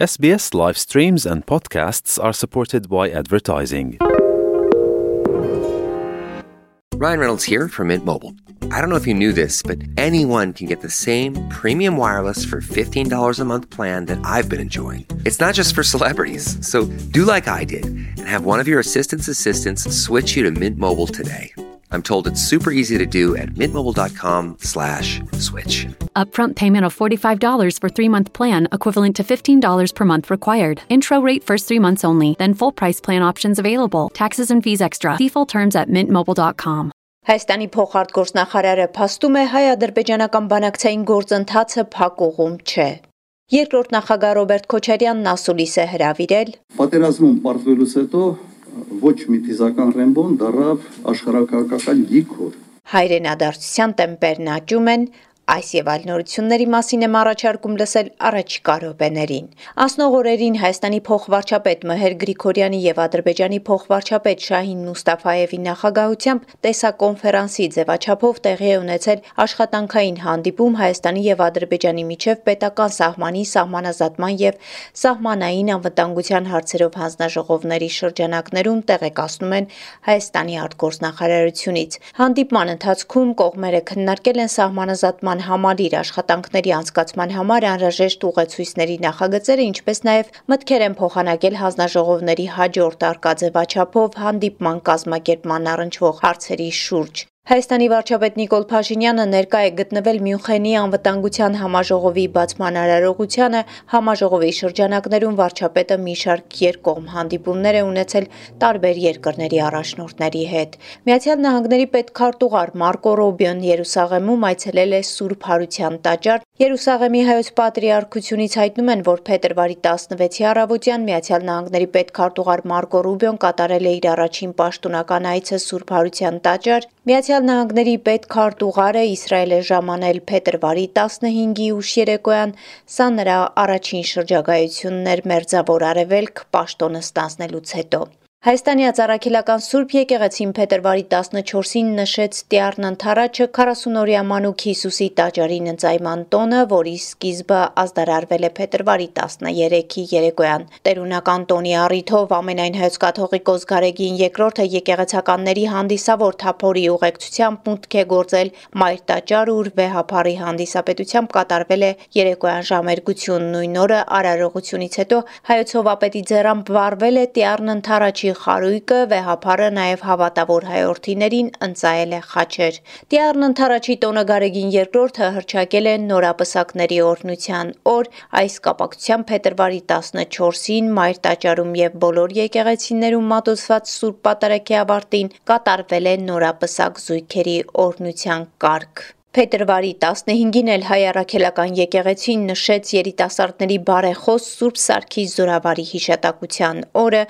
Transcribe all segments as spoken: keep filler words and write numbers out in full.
S B S live streams and podcasts are supported by advertising. Ryan Reynolds here from Mint Mobile. I don't know if you knew this, but anyone can get the same premium wireless for fifteen dollars a month plan that I've been enjoying. It's not just for celebrities. So do like I did and have one of your assistant's assistants switch you to Mint Mobile today. I'm told it's super easy to do at mintmobile.com slash switch. Upfront payment of forty-five dollars for three-month plan, equivalent to fifteen dollars per month required. Intro rate first three months only, then full price plan options available. Taxes and fees extra. See full terms at mint mobile dot com. Հայաստանի փոխարտգործնախարարը փաստում է հայ-ադրբեջանական բանակցային գործընթացը փակուղում չէ։ Երկրորդ նախագահ Ռոբերտ Քոչարյանն ասուլիս է հրավիրել։ Պատերազմում պարտվելուց հետո ոչ մի թիզական ռեմբոն դարավ աշխարհակաղակական գիքոր։ Հայրենադարձության տեմպերն աճում են, այս եւ այլ նորությունների մասին եմ առաջարկում լսել առաջիկա րոպեներին։ Անցնող օրերին Հայաստանի փոխվարչապետ Մհեր Գրիգորյանի եւ Ադրբեջանի փոխվարչապետ Շահին Մուստաֆայևի նախագահությամբ տեսակոնֆերանսի ձևաչափով տեղի է ունեցել աշխատանքային հանդիպում Հայաստանի եւ Ադրբեջանի միջև պետական սահմանի, սահմանազատման եւ սահմանային անվտանգության հարցերով հանձնաժողովների շրջանակներում տեղեկացնում են Հայաստանի արտգործնախարարությունից։ Հանդիպման ընթացքում կողմերը քննարկել են սահմանազատման համալիր աշխատանքների անցկացման համար անհրաժեշտ ուղեցույցների նախագծերը, ինչպես նաև մտքեր են փոխանակել հանձնաժողովների հաջորդ արկածեվաչափով հանդիպման կազմակերպման առնչվող հարցերի շուրջ։ Հայաստանի վարչապետ Նիկոլ Փաշինյանը ներկա է գտնվել Մյունխենի անվտանգության համաժողովի բացման արարողությանը, համաժողովի շրջանակներում վարչապետը մի շարք երկկողմ հանդիպումներ է ունեցել տարբեր երկրների առաջնորդների հետ։ Միացյալ Նահանգների պետքարտուղար Մարկո Ռուբիոն Երուսաղեմում այցելել է Սուրբ Հարության տաճար։ Երուսաղեմի հայոց պատրիարքությունից հայտնում են, որ փետրվարի տասնվեցի առավոտյան Միացյալ Նահանգների պետքարտուղար Մարկո Ռուբիոն կատարել է իր առաջին պաշտոնական այցը Սուրբ Հարության տաճար։ Միացյալ Նահանգների պետքարտուղարը Իսրայել է ժամանել փետրվարի տասնհինգի ուշ երեկոյան, սա նրա առաջին շրջագայությունն էր Մերձավոր Արևելք պաշտոնը ստանձնելուց հետո։ Հայաստանի Ածառաքելական Սուրբ եկեղեցին փետրվարի տասնչորսին նշեց Տիառն Ընթառաջը քառասունօրյա Մանուկ Հիսուսի տաճարին ընծայման տոնը, որի սկիզբը ազդարարվել է փետրվարի տասներեքի երեկոյան։ Տերունական տոնի առիթով ամենայն հայոց կաթողիկոս Գարեգին երկրորդը եկեղեցականների հանդիսավոր թափորի ուղեկցությամբ մուտք է գործել Մայր տաճար, ուր վեհափառի հանդիսապետությամբ կատարվել է երեկոյան ժամերգություն։ Նույն օրը արարողությունից հետո հայոց հովապետի ձեռամբ վառվել է Տիառն Ընթառաջի խարույկը, վեհափառը նաև հավատավոր հայորդիներին ընծայել է խաչեր։ Տիառն Ընթառաջի տոնը Գարեգին երկրորդը հռչակել է նորապսակների օրհնության օր, այս կապակցությամբ փետրվարի տասնչորսին Մայր տաճարում եւ բոլոր եկեղեցիներում մատուցված Սուրբ Պատարագի ավարտին կատարվել է նորապսակ զույգերի օրհնության կարգ։ Փետրվարի տասնհինգին էլ Հայ Առաքելական եկեղեցին նշեց երիտասարդների բարեխոս Սուրբ Սարգիս Զորավարի հիշատակության օրը,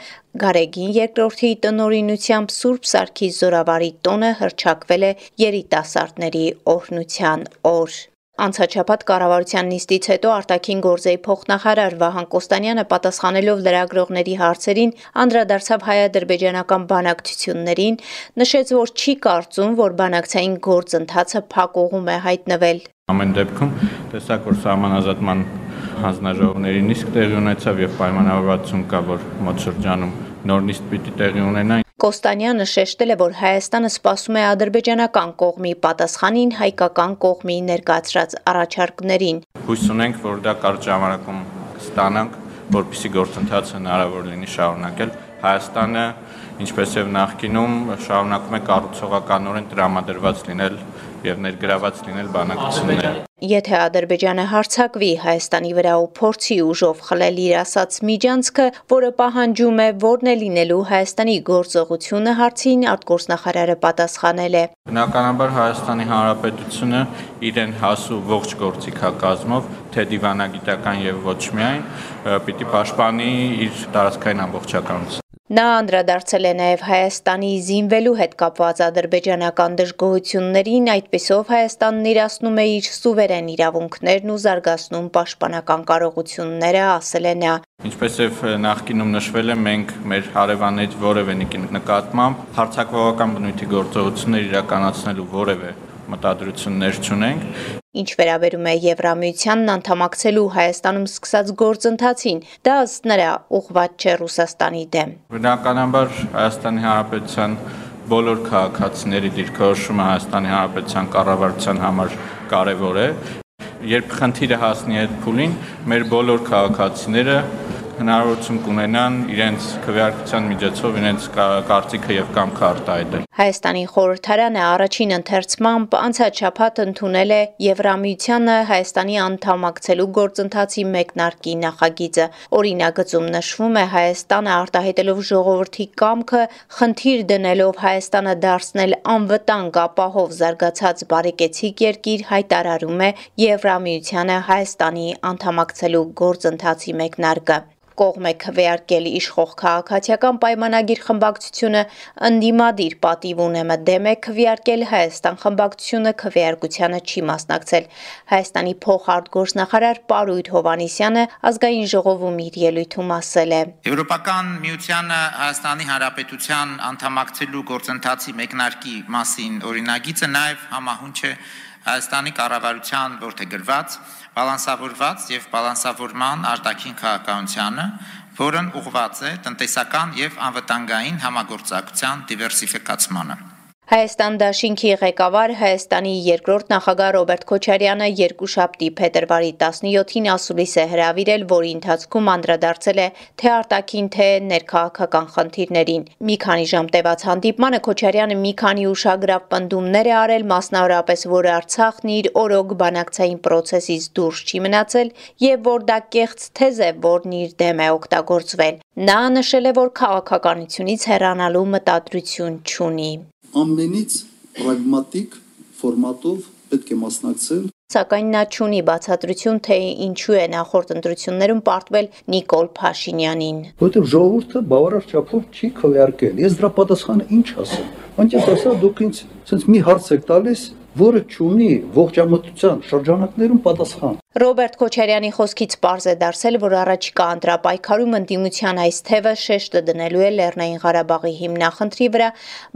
Գարեգին երկրորդի տնօրինությամբ Սուրբ Սարգիս Զորավարի տոնը հռչակվել է երիտասարդների օրհնության օր։ Անցաչափած կառավարության նիստից հետո արտաքին գործերի փոխնախարար Վահան Կոստանյանը պատասխանելով լրագրողների հարցերին անդրադարձավ հայ-ադրբեջանական բանակցություններին, նշեց, որ չի կարծում, որ բանակցային գործընթացը փակուղում է հայտնվել։ Ամեն դեպքում տեսակ, որ սահմանազատման հանձնաժողովների նիստ տեղի ունեցավ եւ պայմանավորվածություն կա, որ մոտ շրջանում նոր նիստ պիտի տեղի ունենա։ Կոստանյանը շեշտել է, որ Հայաստանը սպասում է ադրբեջանական կողմի պատասխանին հայկական կողմի ներկայացրած առաջարկներին։ Հույս ունենք, որ դա կարճ ժամանակում կստանանք, որպեսզի գործընթացը հնարավոր լինի շարունակել։ Հայաստանը, ինչպես եւ նախկինում, շարունակում է կառուցողականորեն տրամադրված լինել եւ ներգրաված լինել բանակցությունները։ Եթե Ադրբեջանը հարձակվի Հայաստանի վրա ու փորձի ուժով խլել իր ասած միջանցքը, որը պահանջում է, որն է լինելու Հայաստանի գործողությունը հարցին արտգործնախարարը պատասխանել է։ Բնականաբար Հայաստանի Հանրապետությունը իրեն հասու ողջ գործիքակազմով, թե դիվանագիտական եւ ոչ միայն, պիտի պաշտպանի իր տարածքային ամբողջականությունը։ Նա անդրադարձել է նաև Հայաստանի զինվելու հետ կապված ադրբեջանական դժգոհություններին, այդպիսով Հայաստանն իրացնում է իր սուվերեն իրավունքներն ու զարգացնում պաշտպանական կարողությունները, ասել է նա։ Ինչպես եւ նախկինում նշվել է, մենք մեր հարևաններից որևէ նկատմամբ հարձակողական բնույթի գործողություններ իրականացնելու որևէ մտադրություններ չունենք։ Ինչ վերաբերում է Եվրամիությանն անդամակցելու Հայաստանում սկսած գործընթացին, դա ըստ նրա ուղղված չէ Ռուսաստանի դեմ։ Բնականաբար Հայաստանի Հանրապետության բոլոր քաղաքացիների դիրքորոշումը Հայաստանի Հանրապետության կառավարության համար կարևոր է։ Երբ խնդիրը հասնի այդ փուլին, մեր բոլոր քաղաքացիները հնարավորություն կունենան իրենց քվեարկության միջոցով իրենց կարծիքը եւ կամքը արտահայտել։ Հայաստանի խորհրդարանը առաջին ընթերցմամբ անցած շաբաթ ընդունել է Եվրամիությանը Հայաստանի անդամակցելու գործընթացի մեկնարկի նախագիծը։ Օրինագծում նշվում է Հայաստանը արտահայտելով ժողովրդի կամքը, խնդիր դնելով Հայաստանը դարձնել անվտանգ ապահով զարգացած բարեկեցիկ երկիր, հայտարարում է Եվրամիությանը Հայաստանի անդամակցելու գործընթացի մեկնարկը։ Կողմ է քվեարկել իշխող քաղաքացիական պայմանագիր խմբակցությունը, ընդդիմադիր պատիվ ունեմը դեմ է քվեարկել, Հայաստան խմբակցությունը քվեարկությանը չի մասնակցել։ Հայաստանի փոխարտգործնախարար Պարույր Հովհաննիսյանը ազգային ժողովում իր ելույթում ասել է. Եվրոպական միությանը Հայաստանի Հանրապետության անդամակցելու գործընթացի մեկնարկի մասին օրինագիծը նաև համահունչ է Հայաստանի կառավարության որդեգրված, բալանսավորված եւ բալանսավորման արտաքին քաղաքականությանը, որն ուղղված է տնտեսական եւ անվտանգային համագործակցության դիվերսիֆիկացմանը։ Հայաստան դաշինքի ղեկավար Հայաստանի երկրորդ նախագահ Ռոբերտ Քոչարյանը երկուշաբթի փետրվարի տասնյոթին ասուլիս է հրավիրել, որի ընթացքում անդրադարձել է թե արտաքին, թե ներքաղաքական խնդիրներին։ Մի քանի ժամ տևած հանդիպմանը Քոչարյանը մի քանի ուշագրավ պնդումներ է արել, մասնավորապես, որ Արցախն իր օրոք բանակցային պրոցեսից դուրս չի մնացել եւ որ դա կեղծ թեզ է, որն իր դեմ է օգտագործվել։ Նա նշել է, որ քաղաքականությունից հեռանալու մտադրություն չունի։ Ամենից պրագմատիկ ֆորմատով պետք է մասնակցել։ Սակայն նա չունի բացատրություն, թե ինչու է նախորդ ընտրություններում պարտվել Նիկոլ Փաշինյանին։ Որտեղ ժողովուրդը բավարար չափով չի քվեարկել։ Ես դրա պատասխանը ինչ ասեմ։ Անկեղծ ասած, դուք ինձ sense մի հարց եք տալիս, որը չունի ողջամտության շրջանակներում պատասխան։ Ռոբերտ Քոչարյանի խոսքից պարզ է դարձել, որ առաջիկա ընտրապայքարում ընդդիմության այս թևը շեշտը դնելու է Լեռնային Ղարաբաղի հիմնախնդրի վրա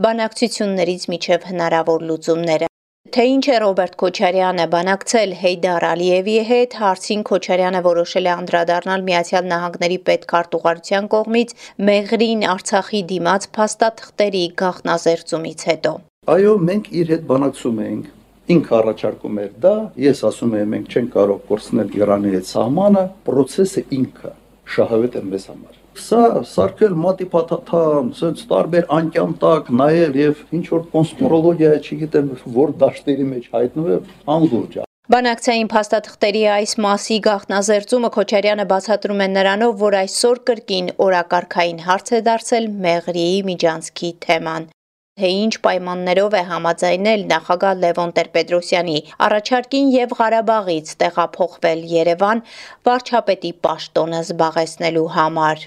բանակցություններից միջև հնարավոր լուծումները։ Թե ինչ է Ռոբերտ Քոչարյանը բանակցել Հեյդար Ալիևի հետ, հարցին Քոչարյանը որոշել է անդրադառնալ Միացյալ Նահանգների պետքարտուղարության կողմից Մեղրին Արցախի դիմաց փաստաթղթերի գաղտնազերծումից հետո։ Այո, մենք իր հետ բանակցում էինք։ Ինքը առաջարկում էր դա, ես ասում եմ մենք չենք կարող կորցնել Իրանի հետ սահմանը, process-ը ինքը շահավետ է մեզ համար։ Սա սարքել մատի փաթաթան, սենց տարբեր անկյան տակ նայել եւ ինչ որ կոնսպիրոլոգիա, չգիտեմ, որ դաշտերի մեջ հայտնվել, անլուրջ է։ Բանակցային փաստաթղթերի այս մասի գաղտնազերծումը Քոչարյանը բացատրում է նրանով, որ այսօր կրկին օրակարգային հարց է դարձել Մեղրիի միջանցքի թեման։ Թե ինչ պայմաններով է համաձայնել նախագահ Լևոն Տեր-Պետրոսյանի առաջարկին եւ Ղարաբաղից տեղափոխվել Երևան վարչապետի պաշտոնը զբաղեցնելու համար։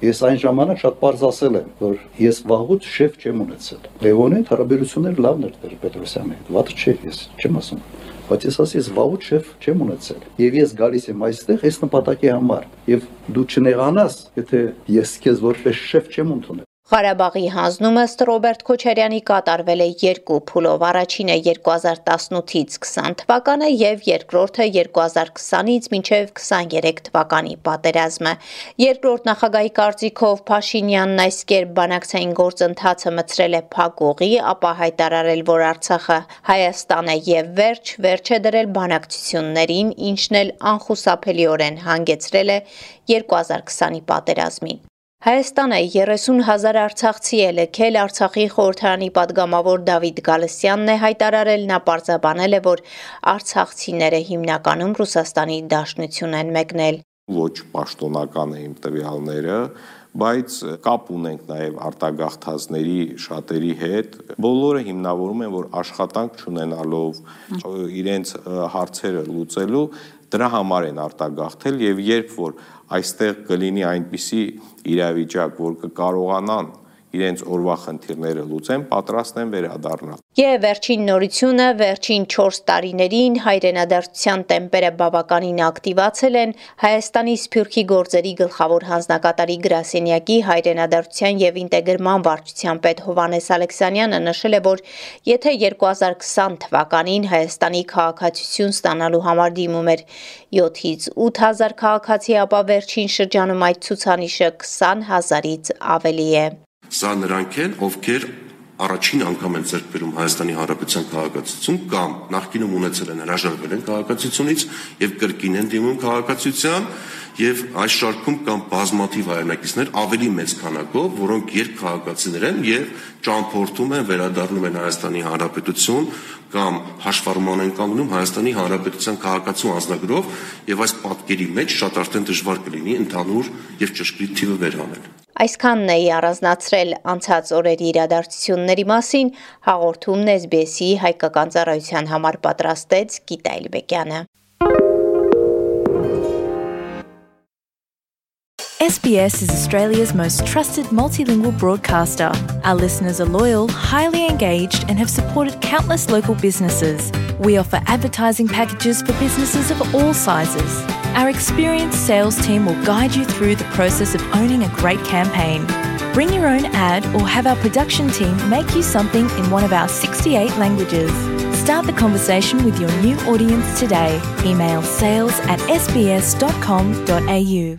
Ես այն ժամանակ շատ պարզ ասել եմ, որ ես վաղուց շեֆ չեմ ունեցել։ Լևոնի հետ հարաբերությունները լավն էր Տեր-Պետրոսյանի հետ, վատ չէ, ես չեմ ասում։ Բայց ես ասի, ես վաղուց շեֆ չեմ ունեցել։ Եվ ես գալիս եմ այստեղ այս նպատակի համար։ Եւ դու չնեղանաս, եթե ես քեզ որպես շեֆ չեմ ընդունել։ Ղարաբաղի հանձնումը ըստ Ռոբերտ Քոչարյանի կատարվել է երկու փուլով, առաջինը երկու հազար տասնութից քսան թվականը եւ երկրորդը երկու հազար քսանից մինչեւ քսաներեք թվականի պատերազմը։ Երկրորդ նախագահի կարծիքով Փաշինյանն այս կերպ բանակցային գործընթացը մցրել է փակուղի, ապա հայտարարել, որ Արցախը Հայաստան է եւ վերջ, վերջ է դրել բանակցություններին, ինչն էլ անխուսափելիորեն հանգեցրել է երկու հազար քսանի պատերազմին։ Հայաստանը երեսուն հազար արցախցի է լքել, Արցախի խորհրդարանի падգամավոր Դավիթ Գալստյանն է հայտարարել, նա պարզաբանել է, որ արցախցիները հիմնականում Ռուսաստանի Դաշնություն են մեկնել։ Ոչ պաշտոնական է իմ տվյալները, բայց կապ ունենք նաև արտագաղթածների շատերի հետ։ Բոլորը հիմնավորում են, որ աշխատանք չունենալով իրենց հարցերը լուծելու դրա համար են արտագաղթել եւ երբ որ այստեղ կլինի այնպիսի իրավիճակ, որ կկարողանան իրենց օրվա խնդիրները լուծեն, պատրաստ են վերադառնալ։ Եվ վերջին նորությունը, վերջին չորս տարիներին հայրենադարձության տեմպերը բավականին ակտիվացել են Հայաստանի Սփյուռքի գործերի գլխավոր հանձնակատարի գրասենյակի հայրենադարձության եւ ինտեգրման վարչության պետ Հովհաննես Ալեքսանյանը նշել է, որ եթե երկու հազար քսան թվականին Հայաստանի քաղաքացիություն ստանալու համար դիմում էր յոթից ութ հազար քաղաքացի, ապա վերջին շրջանում այդ ցուցանիշը քսան հազարից ավելի է։ Սա նրանք են, ովքեր առաջին անգամ են ձեռք բերում Հայաստանի Հանրապետության քաղաքացիություն կամ նախկինում ունեցել են հրաժարվել են քաղաքացիությունից եւ կրկին են դիմում քաղաքացիության եւ այս շարքում կամ բազմաթիվ հայրենակիցներ ավելի մեծ քանակով, որոնք երկքաղաքացիներ են եւ ճամփորդում են, վերադառնում են Հայաստանի Հանրապետություն կամ հաշվառման են կանգնում Հայաստանի Հանրապետության քաղաքացու անձնագրով եւ այս պատկերի մեջ շատ արդեն դժվար կլինի ընդհանուր եւ ճշգրիտ թիվը վերհանել։ Այսքանն էի առանձնացրել անցած օրերի իրադարձությունների մասին, հաղորդումն էս բի էս-ի հայկական ծառայության համար պատրաստեց Գիտա Էլբեկյանը։ S B S is Australia's most trusted multilingual broadcaster. Our listeners are loyal, highly engaged, and have supported countless local businesses. We offer advertising packages for businesses of all sizes. Our experienced sales team will guide you through the process of owning a great campaign. Bring your own ad or have our production team make you something in one of our sixty-eight languages. Start the conversation with your new audience today. Email sales at s b s dot com dot a u.